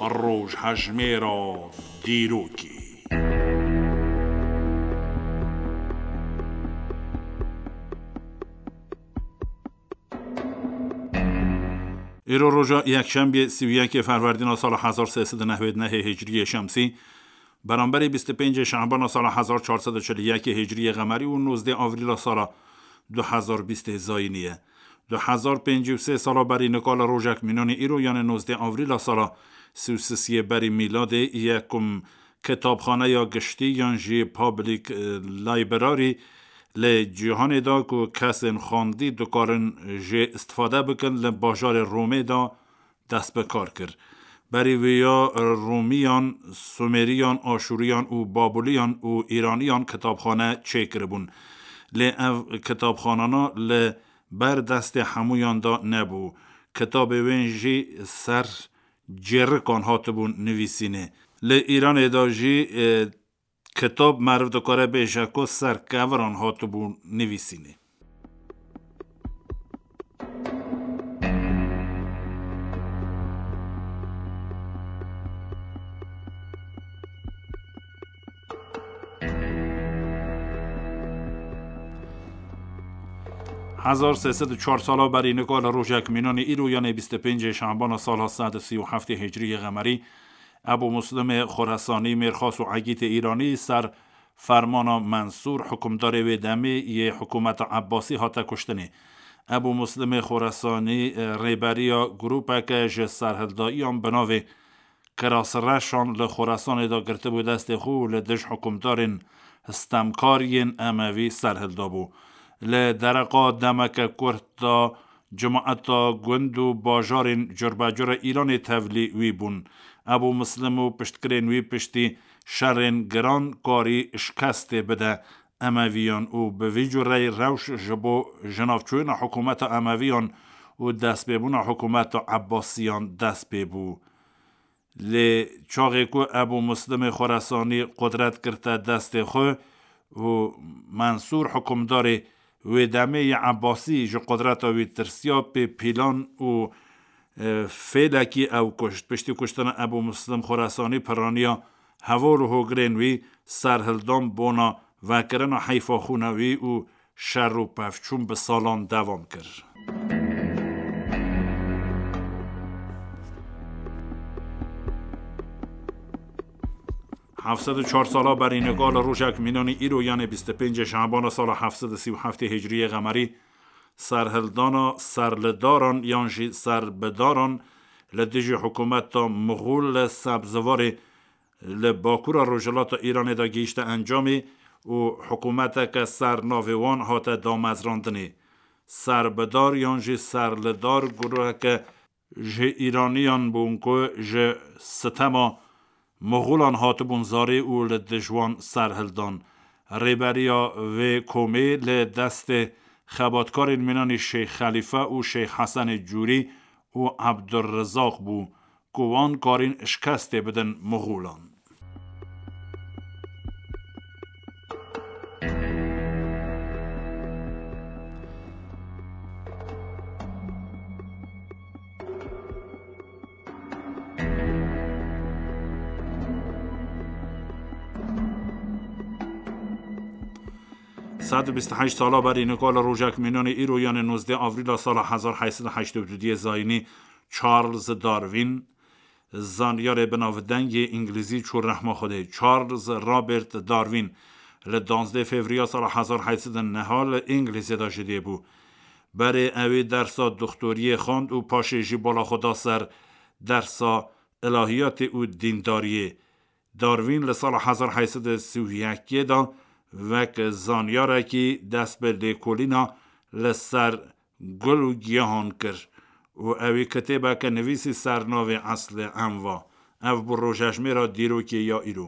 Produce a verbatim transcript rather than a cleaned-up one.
Rojhejmêra dîrokê. Îro roja yekşembiye sî û yekê Ferwerdîna sala hezar sê sed û newêd nehê Hicriyê Şemsî, beramberî bîst û pêncê Şebana sala hezar çar sed û çil û yekê Hicriyê Qemerî û nozdê Avrîla sala du hezar bîstê Zayînî ye. Du hezar pêncî û sê sala berî nika li rojek mînanî îro, yanê nozdê Avrîla sala sî û sisiyê berî mîladê yekum kitabxaneya giştî yan jî public, e, library li cîhanê de ku kesên xwendî dikarin jê istifade bikin, li bajarê Romê de dest bi kar kir. Berî vêya Romiyan, Sumeriyan, Aşûriyan û Babûliyan û Îraniyan kitabxane çêkiribûn. Lê ev kitabxanana li ber destê hemûyan de nebû. Kitabê wên jî ser cêrikan hatibûn nivîsînê. Li Îranê de jî, e, kitab meriv dikare bêje ku ser keviran hatibû nivîsînê. Hezar sê sed û çar sala berî nika li rojek mînanî îro, yanê bîst û pêncê Şebana sala sed û sî û heftê Hicriyê Qemerî, Ebû Muslimê Xoresanî, mêrxas û egîtê Îranî ser fermana Mensûr, hikûmdarê wê demê yê hikûmeta Ebbasî, hate kuştinê. Ebû Muslimê Xoresanî, e, rêberiya grûpeke ji serhildayiyan bi navê Kirasreşan li Xoresanê de girtibû destê xwe û li dij hikûmdarên stemkar yên Emevî serhildabû. Li dereqa demeke kurt de cemaeta gund û bajarên curbecur a Îranê tevlî wî bûn. Ebû Muslim û piştgirên wî piştî şerên giran karî şikestê bide Emeviyan û bi vî cureyî rewş ji bo jinavçûyîna hikûmeta Emeviyan û destpêbûna hikûmeta Ebbasiyan dest pê bû. Lê çaxê ku Ebû Muslimê Xoresanî qudret girte destê xwe û Mensûr hikûmdarê wê demê yê Ebbasî ji qudreta wî tirsiya, pê pîlan û, e, fêlekî ew kuşt. Piştî kuştina Ebû Muslim Xoresanî piraniya heval û hogirên wî serhildan bona vekirina heyfa xûna wî û şer û pevçûn bi salan devam kir. Heft sed û çar sala berî nika li rojek mînanî îro, yanê bîst û pêncê Şebana sala heft sed û sî û heftê Hicriyê Qemerî, serhildana serlidaran yan jî serbidaran li dijî hikûmeta Mixûl li Sebzivarê li bakura rojhilata Îranê de gihîşte encamê û hikûmeteke ser navê wan hate damezrandinê. Serbidar yan jî serlidar guruheke ji Îraniyan bûn ku ji sitema Moxolan hatibûn zarê û li dij wan serhildan. Rêberiya vê komê li destê xebatkarên mînanî Şêx Xelîfe û Şêx Hesenê Cûrî û Ebdurrizaq bû, ku wan karîn şikestê bidin Moxolan. Sed û bîst û heşt sala berî nika li rojek mînanê îro, yanê nozdeh avrîla sala hezar heyt sed û heştê û duyê zayînî, Charles Darwin, zanyarê binavdengê îngilîzî çû rehma Xwedê. Charles Robert Darwin li danzdeh fevriya sala hezar heyt sed û neh li Îngilîzê de ji dê bû. Berê ewî dersa doktoriyê xwend û paşê jî bala xwe da ser dersa ilahiyatê û dîndariyê. Darwin li sala hezar heyt sed û sî û yekê de wek zanyarekî dest bi lêkolîna li ser gul û giyahan kir û ewî kitêbeke nivîsî ser navê Eslê Enva. Ev bû rojejmêra dîrokê ya îro.